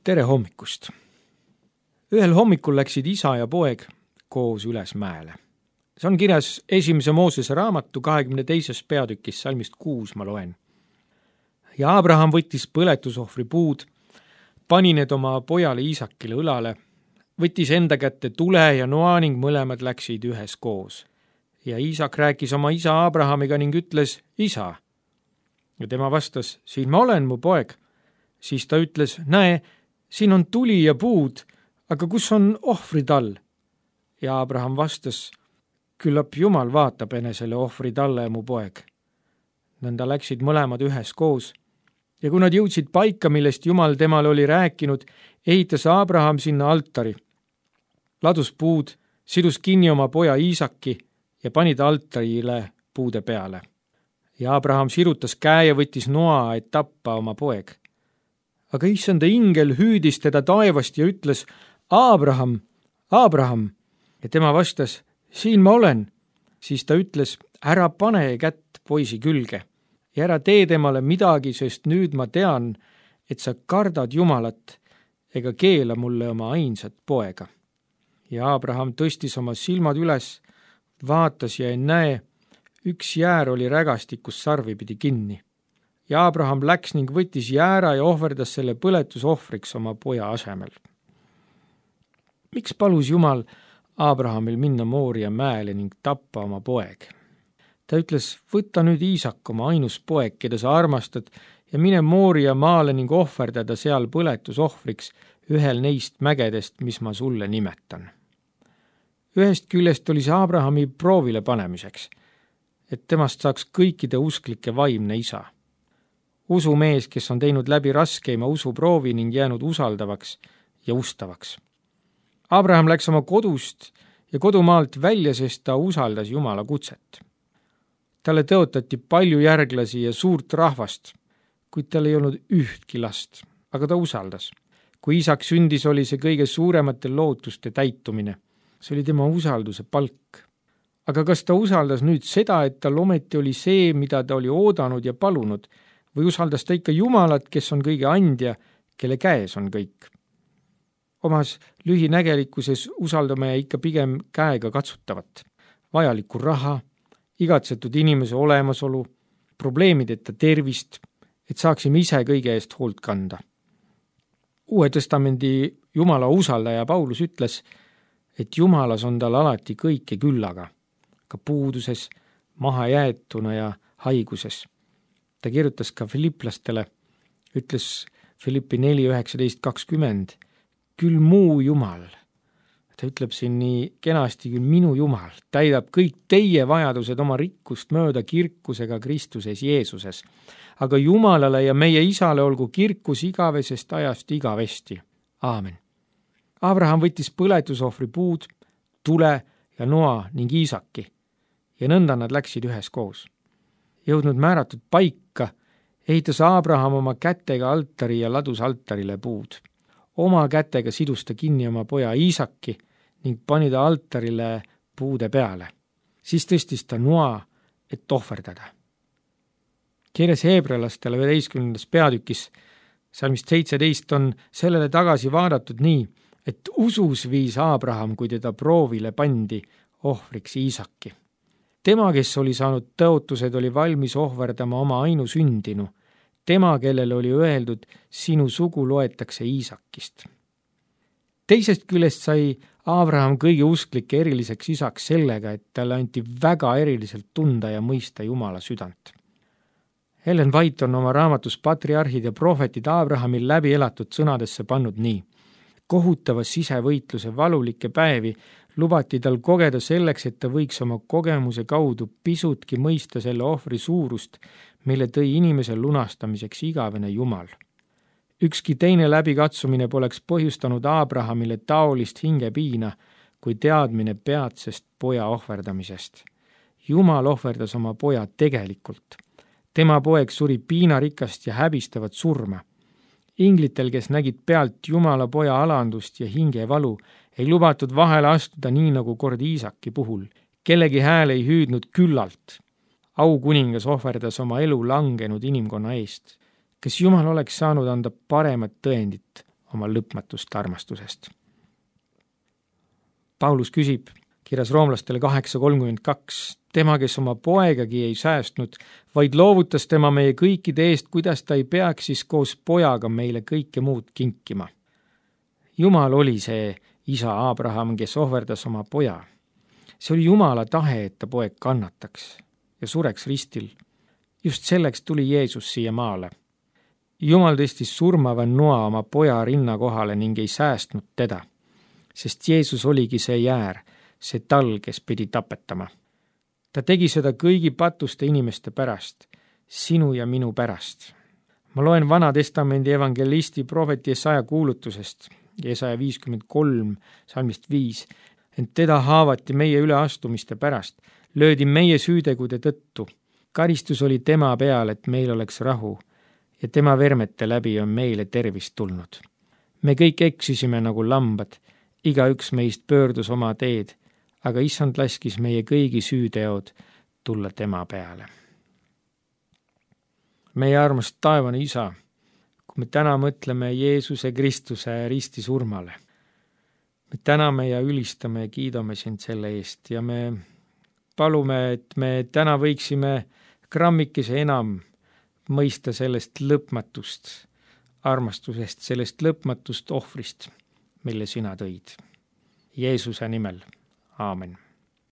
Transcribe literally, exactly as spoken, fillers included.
tere hommikust! Ühel hommikul läksid isa ja poeg koos üles mäele. See on kirjas esimese Moosese raamatu kahekümne teises peatükis, salmist kuus ma loen. Ja Abraham võttis põletusohvri puud, pani need oma pojale Iisakile õlale, võttis enda kätte tule ja noa ning mõlemad läksid ühes koos. Ja Iisak rääkis oma isa Abrahamiga ning ütles, isa. Ja tema vastas, siin ma olen, mu poeg. Siis ta ütles, näe, siin on tuli ja puud, aga kus on ohvritall? Ja Abraham vastas, küllap Jumal vaatab enesele ohvritalle, mu poeg. Nõnda läksid mõlemad ühes koos. Ja kui nad jõudsid paika, millest Jumal temale oli rääkinud, ehitas Abraham sinna altari. Ladus puud, sidus kinni oma poja Iisaki ja pani ta altarile puude peale. Ja Abraham sirutas käe ja võttis noa, et tappa oma poeg. Aga issanda ingel hüüdis teda taevast ja ütles, Abraham, Abraham, ja tema vastas, siin ma olen. Siis ta ütles, ära pane kätt poisi külge ja ära tee temale midagi, sest nüüd ma tean, et sa kardad Jumalat ega keela mulle oma ainsat poega. Ja Abraham tõstis oma silmad üles, vaatas ja ei näe, üks jäär oli rägastikus sarvipidi kinni. Ja Abraham läks ning võttis jäära ja ohverdas selle põletusohvriks oma poja asemel. Miks palus Jumal Abrahamil minna Mooria mäele ning tappa oma poeg? Ta ütles, võta nüüd Iisak, oma ainus poeg, keda sa armastad, ja mine Mooria maale ning ohverdada seal põletusohvriks ühel neist mägedest, mis ma sulle nimetan. Ühest küljest oli see Abrahami proovile panemiseks, et temast saaks kõikide usklike vaimne isa. Usumees, kes on teinud läbi raskeima usuproovi ning jäänud usaldavaks ja ustavaks. Abraham läks oma kodust ja kodumaalt välja, sest ta usaldas Jumala kutset. Talle tõotati palju järglasi ja suurt rahvast, kuid tal ei olnud ühtki last, aga ta usaldas. Kui Iisak sündis, oli see kõige suuremate lootuste täitumine. See oli tema usalduse palk. Aga kas ta usaldas nüüd seda, et tal ometi oli see, mida ta oli oodanud ja palunud, või usaldas ta ikka Jumalat, kes on kõige andja, kelle käes on kõik? Omas lühinägelikkuses usaldame ikka pigem käega katsutavat, vajalikku raha, igatsetud inimese olemasolu, probleemideta tervist, et saaksime ise kõige eest hoolt kanda. Uue testamendi Jumala usaldaja Paulus ütles, et Jumalas on tal alati kõike küllaga, ka puuduses, mahajäetuna ja haiguses. Ta kirjutas ka Filiplastele, ütles Filippi neli üheksateist kakskümmend, küll muu Jumal. Ta ütleb siin nii kenasti, küll minu Jumal täidab kõik teie vajadused oma rikkust mööda kirkusega Kristuses Jeesuses. Aga Jumalale ja meie isale olgu kirkus igavesest ajast igavesti. Aamen. Abraham võttis põletusohvri puud, tule ja noa ning Iisaki ja nõnda nad läksid ühes koos. Jõudnud määratud paika, ehitas Abraham oma kätega altari ja ladus altarile puud. Oma kätega sidus ta kinni oma poja Iisaki ning pani ta altarile puude peale. Siis tõstis ta noa, et ohverdada. Kirjas Heebrealastele üheteistkümnendas peatükis, salmist seitseteist on sellele tagasi vaadatud nii, et usus viis Abraham, kui teda proovile pandi ohvriks Iisaki. Tema, kes oli saanud tõotused, oli valmis ohverdama oma ainusündinu. Tema, kellele oli öeldud, sinu sugu loetakse Iisakist. Teisest küljest sai Abraham kõige usklike eriliseks isaks sellega, et talle anti väga eriliselt tunda ja mõista Jumala südant. Ellen White on oma raamatus Patriarhid ja prohvetid Abrahamil läbi elatud sõnadesse pannud nii. Kohutava sisevõitluse valulikke päevi lubati tal kogeda selleks, et ta võiks oma kogemuse kaudu pisutki mõista selle ohvri suurust, mille tõi inimese lunastamiseks igavene Jumal. Ükski teine läbikatsumine poleks põhjustanud Abrahamile taolist hingepiina kui teadmine peatsest poja ohverdamisest. Jumal ohverdas oma poja tegelikult. Tema poeg suri piinarikast ja häbistavat surma. Inglitel, kes nägid pealt Jumala poja alandust ja hingevalu, ei lubatud vahele astuda nii nagu kord Iisaki puhul. Kellegi hääl ei hüüdnud küllalt. Aukuningas ohverdas oma elu langenud inimkonna eest. Kes Jumal oleks saanud anda paremat tõendit oma lõpmatust armastusest. Paulus küsib kirjas roomlastele kaheksa kolmkümmend kaks, tema, kes oma poegagi ei säästnud, vaid loovutas tema meie kõikide eest, kuidas ta ei peaks siis koos pojaga meile kõike muud kinkima. Jumal oli see isa Abraham, kes ohverdas oma poja. See oli Jumala tahe, et ta poeg kannataks ja sureks ristil. Just selleks tuli Jeesus siia maale. Jumal tõstis surmava noa oma poja rinna kohale ning ei säästnud teda, sest Jeesus oligi see jäär, see tal, kes pidi tapetama. Ta tegi seda kõigi patuste inimeste pärast, sinu ja minu pärast. Ma loen Vana Testamendi evangelisti prohveti Jesaja kuulutusest, Jesaja viiskümmend kolm, salmist viis, ent teda haavati meie üleastumiste pärast, löödi meie süütegude tõttu. Karistus oli tema peal, et meil oleks rahu, ja tema vermete läbi on meile tervist tulnud. Me kõik eksisime nagu lambad, igaüks meist pöördus oma teed, aga issand laskis meie kõigi süüteod tulla tema peale. Meie armas taevane isa, kui me täna mõtleme Jeesuse Kristuse risti surmale, me täname ja ülistame ja kiidame sind selle eest ja me palume, et me täna võiksime grammikese enam mõista sellest lõpmatust armastusest, sellest lõpmatust ohvrist, mille sina tõid. Jeesuse nimel. Aamen.